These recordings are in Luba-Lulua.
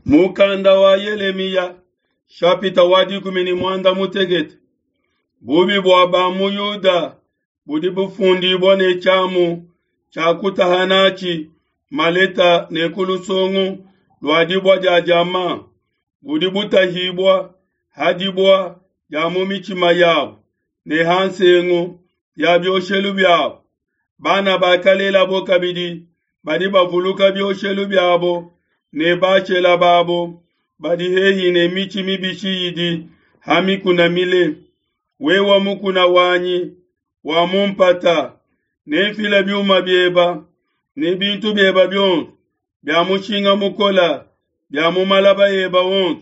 Mukanda wa Yelemiya shapita wa 16. Bubi bua ba mu Yuda budi bufundibua ne tshiamu tshia kutaha natshi maleta ne ku lusongo lua dibua dia diamant, budi butahibua ha dibua dia mu mitshima yabo ne ha nsengu ya bioshelu biabo. Bana bakalelabo kabidi badi bavuluka bioshelu biabo ne bashela babo badi hehi ne mitshi mibishi idi ha mikuna mile. Wewe mukuna wanyi wa mu mpata, nenfile biuma bieba ne bintu bieba bionso bia mushinga mukola bia mu malaba eba onso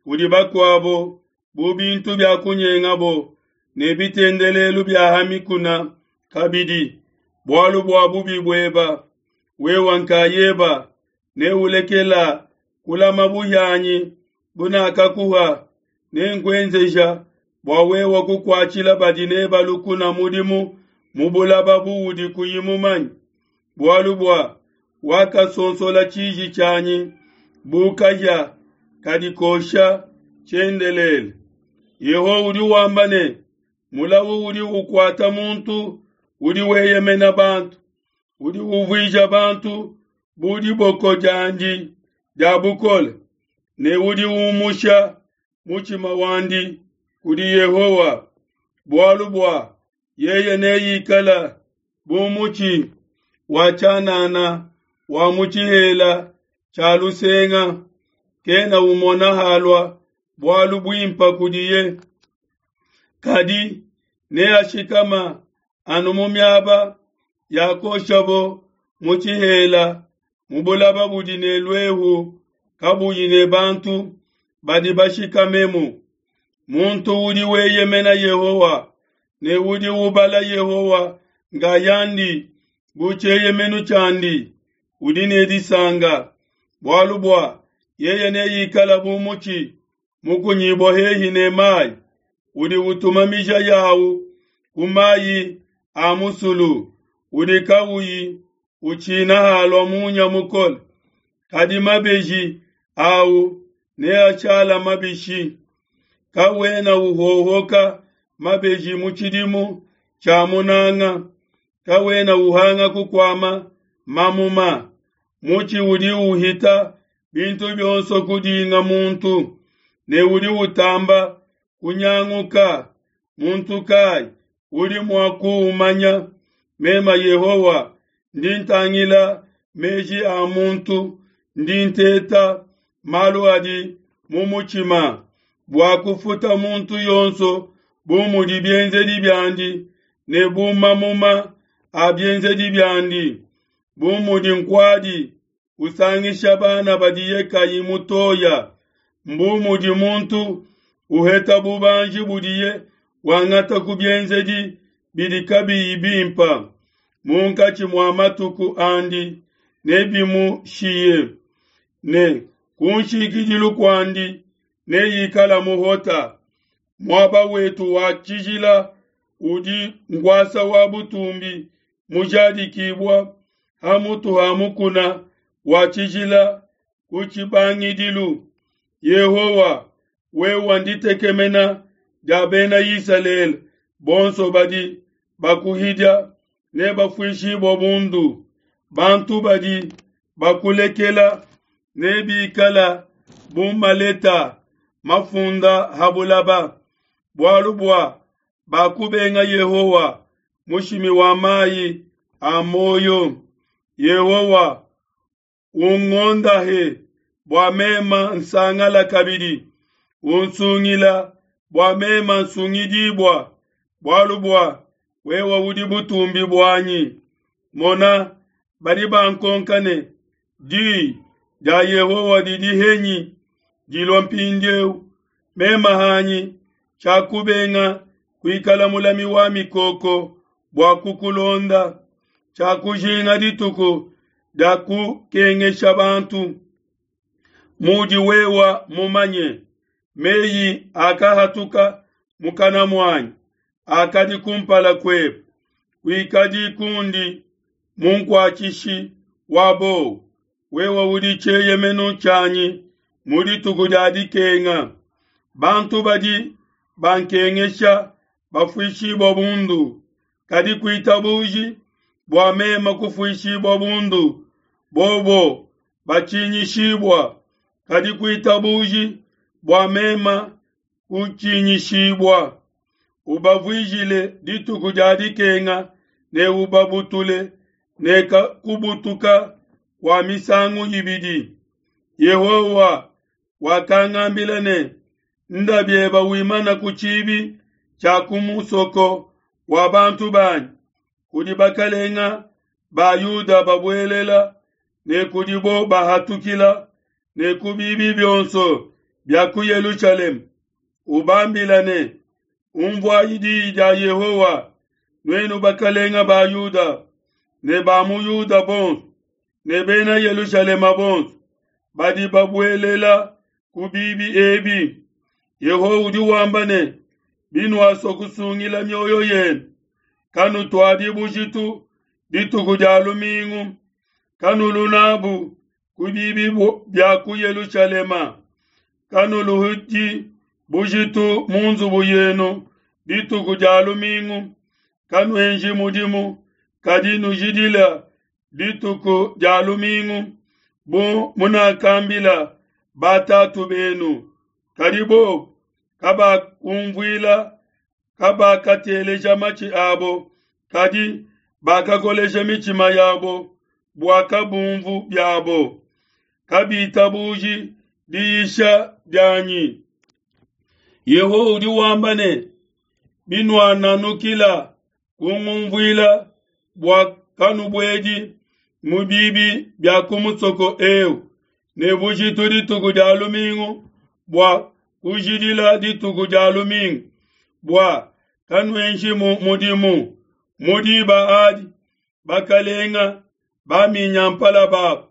kudi bakuabo bu bintu bia kunyengabo ne bitendelelu bia ha mikuna kabidi, bualu bua bubi bueba wewe nkayeba neulekela kulama buhianyi bunakakuha, nenkuenzeja bua wewe kukuatshila badi neba lukuna mudimu mu bulaba buudi kuyi mumanye, bualu bua wakasonsola tshiji tshianyi bu kahia kadi kosha tshiendelele. Yehowa udi wamba ne, mulawu udi ukuata muntu udi weyemena bantu, udi uvuija bantu bu diboko diandi dia bukole, ne udi umusha mutshima wandi kudi Yehowa, bualu bua yeye neikala bu mutshi wa tshianana wa mu tshihela tshia lusenga, kena umona halua bualu buimpa kudiye, kadi neashikama anu mu miaba yakoshabo mu tshihela, mu bulaba budi ne luehu kabuyi ne bantu badi bashikamemu. Muntu udi weyemena Yehowa ne udi ubala Yehowa ngayandi bu tshieyemenu tshiandi, udi ne disanka, bualu bua yeye neikala bu mutshi mukunyibua hehi ne mayi, udi utuma mija yawu ku mayi a musulu, udi kauyi utshina halua munya mukole, kadi mabeji awu neashala mabishi. Kawena uhohoka mabeji mu tshidimu tshia munanga, kawena uhanga kukuama mamuma. Mutshi udi uhita bintu bionso kudinga muntu, ne udi utamba kunyanguka. Muntu kai udi mua kuumanya? Mema Yehowa ndi ntangila meji a muntu, ndi nteta malu adi mu mutshima, bua kufuta muntu yonso bu mudi bienzedi biandi ne bu mamuma a bienzedi biandi. Bu mudi nkuadi usangisha bana badiye kayi mutoya, mbu mudi muntu uheta bubanji budiye wangata ku bienzedi bidi kabiyi bimpa. Munkatshi mua matuku andi nebimushiye, ne kunshikidilu kuandi neikala muhota. Muaba wetu wa tshijila udi nkuasa wa butumbi mujadikibua ha mutu ha mukuna wa tshijila ku tshibangidilu. Yehowa, wewe nditekemena dia bena Isalele, bonso badi bakuhidia nebafuishibue bundu. Bantu badi bakulekela nebikala bu maleta mafunda ha bulaba, bualu bua bakubenga Yehowa, mushimi wa mayi a muoyo. Yehowa, ungondahe bua mema nsangala kabidi, unsungila bua mema nsungidibua, bualu bua wewe udi butumbi buanyi. Mona, badi bankonka ne, di dia Yehowa didi henyi dilua mpindieu? Mema hanyi tshiakubenga kuikala mulami wa mikoko bua kukulonda, tshiakujinga dituku dia kukengesha bantu. Mudi wewa mumanye, meyi akahatuka mukana muanyi akadi kumpala kuebe, kuikadi kundi munkuatshishi wa bowa. Wewe udi tshieyemenu tshianyi. mu dituku dia dikenga. Bantu badi bankengesha bafuishibua bundu, kadi kuitabuji bua meme kufuishibua bundu, bobo batshinyishibua, kadi kuitabuji bua meme kutshinyishibua. Ubavuijile dituku dia dikenga ne ubabutule ne kubutuka kua misangu ibidi. Yehowa wakangambila ne, Nda bieba wimana ku tshibi tshia ku musoko wa bantu banyi, kudi bakalenga ba Yuda babuelela ne kudibo bahatukila, ne ku bibi bionso bia ku Yelushalema, ubambila ne, Unvuayi diyi dia Yehowa, nuenu bakalenga ba Yuda ne ba mu Yuda bonso ne bena Yelushalema bonso badi babuelela ku bibi ebi. Yehowa udi wamba ne, Binuasua kusungila mioyo yenu, kanutuadi bujitu dituku dia lumingu, kanulu nabu ku bibi bia ku Yelushalema, kanuluhudi bujitu mu nzubu yenu dituku dia lumingu, kanuenji mudimu, kadi nujidila dituku dia lumingu, bu munakambila batatu benu. Kadi bobu kabakumvuila, kabakateleja matshi abo, kadi bakakolesha mitshima yabo bua kabumvu biabo, kabitabuji diyisha dianyi. Yehowa udi wamba ne, Binuananukila kungumvuila bua kanubuedi mu bibi bia ku musoko eu ne bujitu dituku dia lumingu bua kujidila dituku dia lumingu bua kanuenjimu mudimu mu diba adi bakalenga baminyampala babu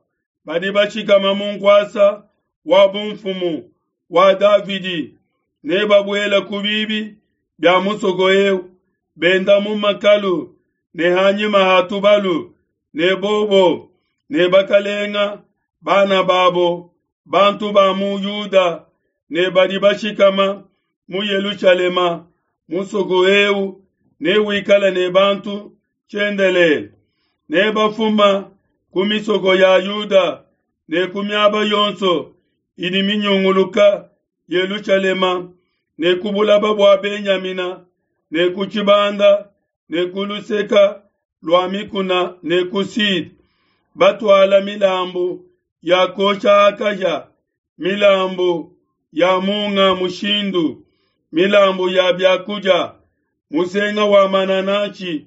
badi bashikama mu nkuasa wa bumfumu wa Davidi ne babuela ku bibi bia musoko eu benda mu makalu ne hanyima ha tubalu ne bobo ne bakalenga bana babo bantu ba mu Yuda ne badi bashikama mu Yelushalema musoko eu newikale ne bantu tshiendelele ne bafuma ku misoko ya Yuda ne ku miaba yonso idi minyunguluka Yelushalema ne ku bulaba bua Benyamina ne ku tshibanda ne ku luseka lua mikuna ne ku Sud, batuala milambu ya kuosha akahia, milambu ya munga mushindu, milambu ya biakudia, musenga wa manananshi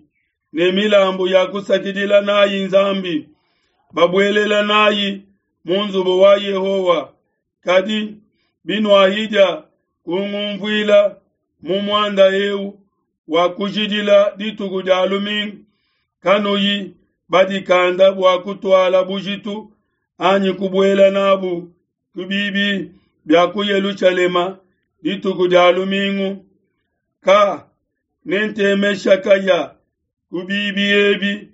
ne milambu ya kusakidila nayi Nzambi, babuelela nayi mu nzubu wa Yehowa. Kadi binuahidia kungumvuila mu muanda eu wa kujidila dituku dia lumingu, kanuyi badikanda bua kutuala bujitu anyi kubuela nabu ku bibi bia ku Yelushalema dituku dia lumingu, ka nentemesha kahia ku bibi ebi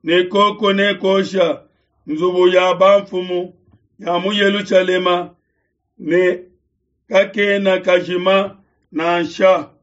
ne koko nekosha nzubu ya bamfumu ya mu Yelushalema ne kakena kajima nansha.